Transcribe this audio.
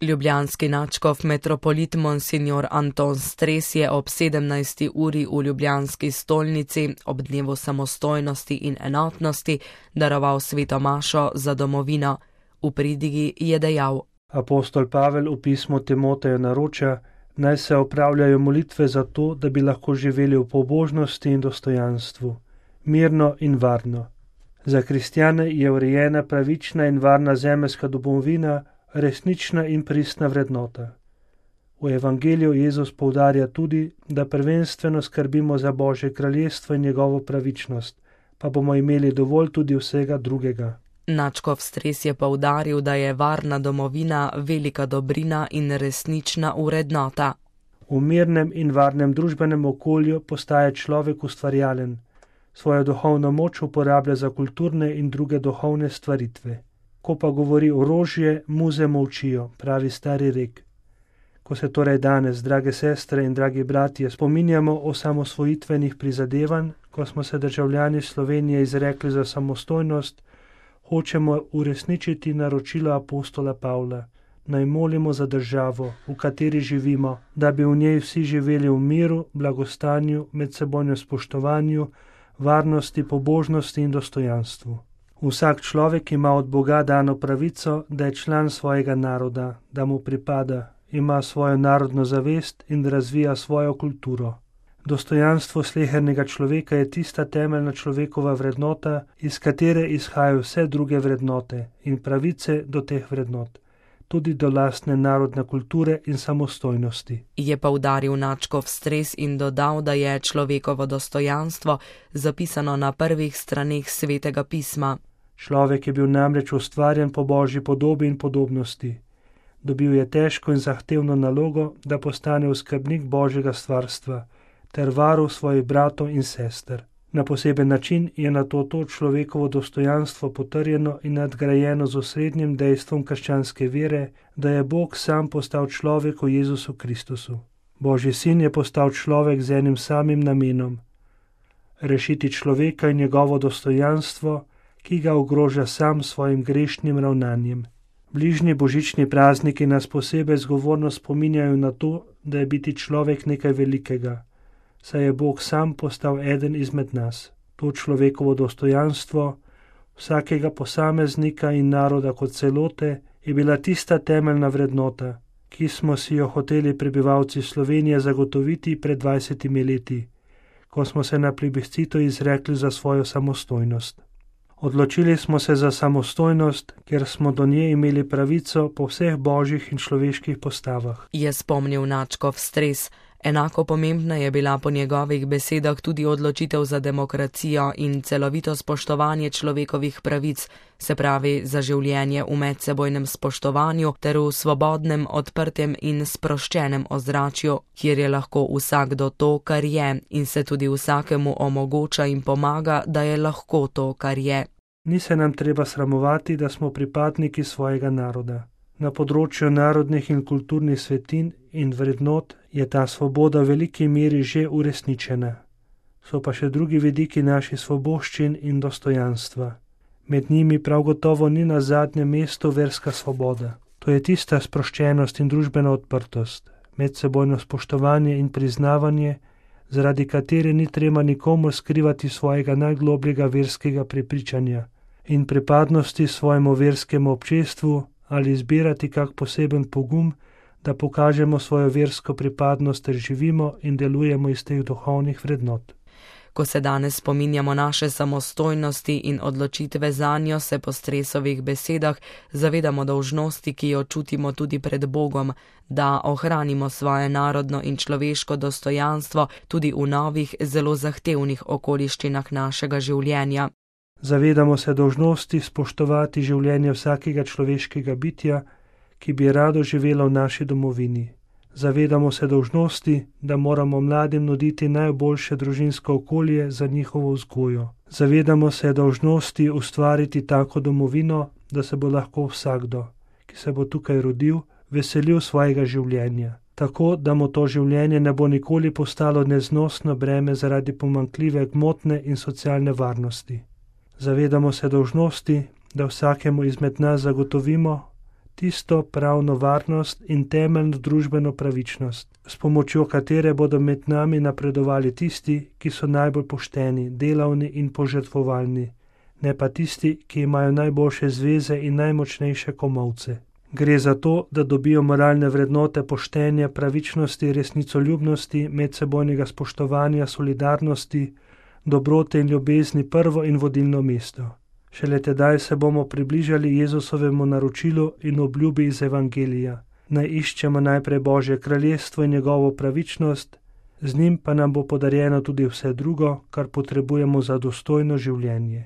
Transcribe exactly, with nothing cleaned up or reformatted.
Ljubljanski nadškof metropolit monsignor Anton Stres je ob sedemnajsti uri v ljubljanski stolnici ob dnevu samostojnosti in enotnosti daroval sveto mašo za domovino. V pridigi je dejal: Apostol Pavel v pismu Timoteju naroča, naj se opravljajo molitve za to, da bi lahko živeli v pobožnosti in dostojanstvu, mirno in varno. Za kristjane je urejena pravična in varna zemeljska domovina resnična in pristna vrednota. V evangeliju Jezus poudarja tudi, da prvenstveno skrbimo za Božje kraljestvo in njegovo pravičnost, pa bomo imeli dovolj tudi vsega drugega. Nadškof Stres je poudaril, da je varna domovina velika dobrina in resnična vrednota. V mirnem in varnem družbenem okolju postaje človek ustvarjalen, svojo duhovno moč uporablja za kulturne in druge duhovne stvaritve. Ko pa govori orožje, muze molčijo, pravi stari rek. Ko se torej danes, drage sestre in dragi bratje, spominjamo o samosvojitvenih prizadevanj, ko smo se državljani Slovenije izrekli za samostojnost, hočemo uresničiti naročilo apostola Pavla. Naj molimo za državo, v kateri živimo, da bi v njej vsi živeli v miru, blagostanju, medsebojnem spoštovanju, varnosti, pobožnosti in dostojanstvu. Vsak človek ima od Boga dano pravico, da je član svojega naroda, da mu pripada, ima svojo narodno zavest in razvija svojo kulturo. Dostojanstvo slehernega človeka je tista temeljna človekova vrednota, iz katere izhajajo vse druge vrednote in pravice do teh vrednot, tudi do lastne narodne kulture in samostojnosti. Je poudaril nadškof Stres in dodal, da je človekovo dostojanstvo zapisano na prvih straneh Svetega pisma. Človek je bil namreč ustvarjen po Božji podobi in podobnosti. Dobil je težko in zahtevno nalogo, da postane oskrbnik Božjega stvarstva ter varuh svojih bratov in sester. Na poseben način je na to to človekovo dostojanstvo potrjeno in nadgrajeno z osrednjim dejstvom krščanske vere, da je Bog sam postal človek v Jezusu Kristusu. Božji sin je postal človek z enim samim namenom: rešiti človeka in njegovo dostojanstvo, ki ga ogroža sam svojim grešnim ravnanjem. Bližnji božični prazniki nas posebej zgovorno spominjajo na to, da je biti človek nekaj velikega, saj je Bog sam postal eden izmed nas. To človekovo dostojanstvo vsakega posameznika in naroda kot celote je bila tista temeljna vrednota, ki smo si jo hoteli prebivalci Slovenije zagotoviti pred dvajsetimi leti, ko smo se na plebiscitu izrekli za svojo samostojnost. Odločili smo se za samostojnost, ker smo do nje imeli pravico po vseh božjih in človeških postavah. Je spomnil nadškof Stres. Enako pomembna je bila po njegovih besedah tudi odločitev za demokracijo in celovito spoštovanje človekovih pravic, se pravi za življenje v medsebojnem spoštovanju ter v svobodnem, odprtem in sproščenem ozračju, kjer je lahko vsakdo to, kar je, in se tudi vsakemu omogoča in pomaga, da je lahko to, kar je. Ni se nam treba sramovati, da smo pripadniki svojega naroda. Na področju narodnih in kulturnih svetin in vrednot je ta svoboda v veliki meri že uresničena. So pa še drugi vidiki naših svoboščin in dostojanstva. Med njimi prav gotovo ni na zadnjem mestu verska svoboda. To je tista sproščenost in družbena odprtost, medsebojno spoštovanje in priznavanje, zaradi katere ni treba nikomur skrivati svojega najglobljega verskega prepričanja in pripadnosti svojemu verskemu občestvu ali izbirati kak poseben pogum, da pokažemo svojo versko pripadnost ter živimo in delujemo iz teh duhovnih vrednot. Ko se danes spominjamo naše samostojnosti in odločitve zanjo, se po Stresovih besedah zavedamo dolžnosti, ki jo čutimo tudi pred Bogom, da ohranimo svoje narodno in človeško dostojanstvo tudi v novih, zelo zahtevnih okoliščinah našega življenja. Zavedamo se dolžnosti spoštovati življenje vsakega človeškega bitja, ki bi rado živelo v naši domovini. Zavedamo se dolžnosti, da moramo mladim nuditi najboljše družinsko okolje za njihovo vzgojo. Zavedamo se dolžnosti ustvariti tako domovino, da se bo lahko vsakdo, ki se bo tukaj rodil, veselil svojega življenja. Tako, da mu to življenje ne bo nikoli postalo neznosno breme zaradi pomanjkljive gmotne in socialne varnosti. Zavedamo se dolžnosti, da vsakemu izmed nas zagotovimo tisto pravno varnost in temeljno družbeno pravičnost, s pomočjo katere bodo med nami napredovali tisti, ki so najbolj pošteni, delavni in požrtvovalni, ne pa tisti, ki imajo najboljše zveze in najmočnejše komolce. Gre za to, da dobijo moralne vrednote poštenja, pravičnosti, resnicoljubnosti, medsebojnega spoštovanja, solidarnosti, dobrote in ljubezni prvo in vodilno mesto. Šele tedaj se bomo približali Jezusovemu naročilu in obljubi iz Evangelija. Naj iščemo najprej Božje kraljestvo in njegovo pravičnost, z njim pa nam bo podarjeno tudi vse drugo, kar potrebujemo za dostojno življenje.